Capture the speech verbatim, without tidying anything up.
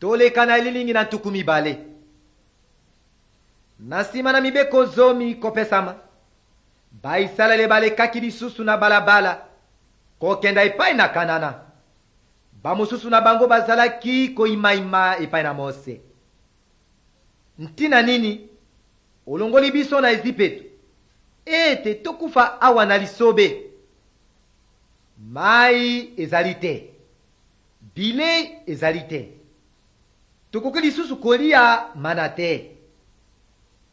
Toleka na elilingi na ntuku mibale. Na nsima na mibeko zomi kopesama, Bayisalaele balekaki lisusu na balabala kokenda epai na Kanana. Bamosusu na bango bazalaki koimaima epai na Mose. Ntina nini olongoli biso na Ezipeto ete tokufa awa na lisobe? Mai ezali te, bilei ezali te, tokoki lisusu kolia mana te.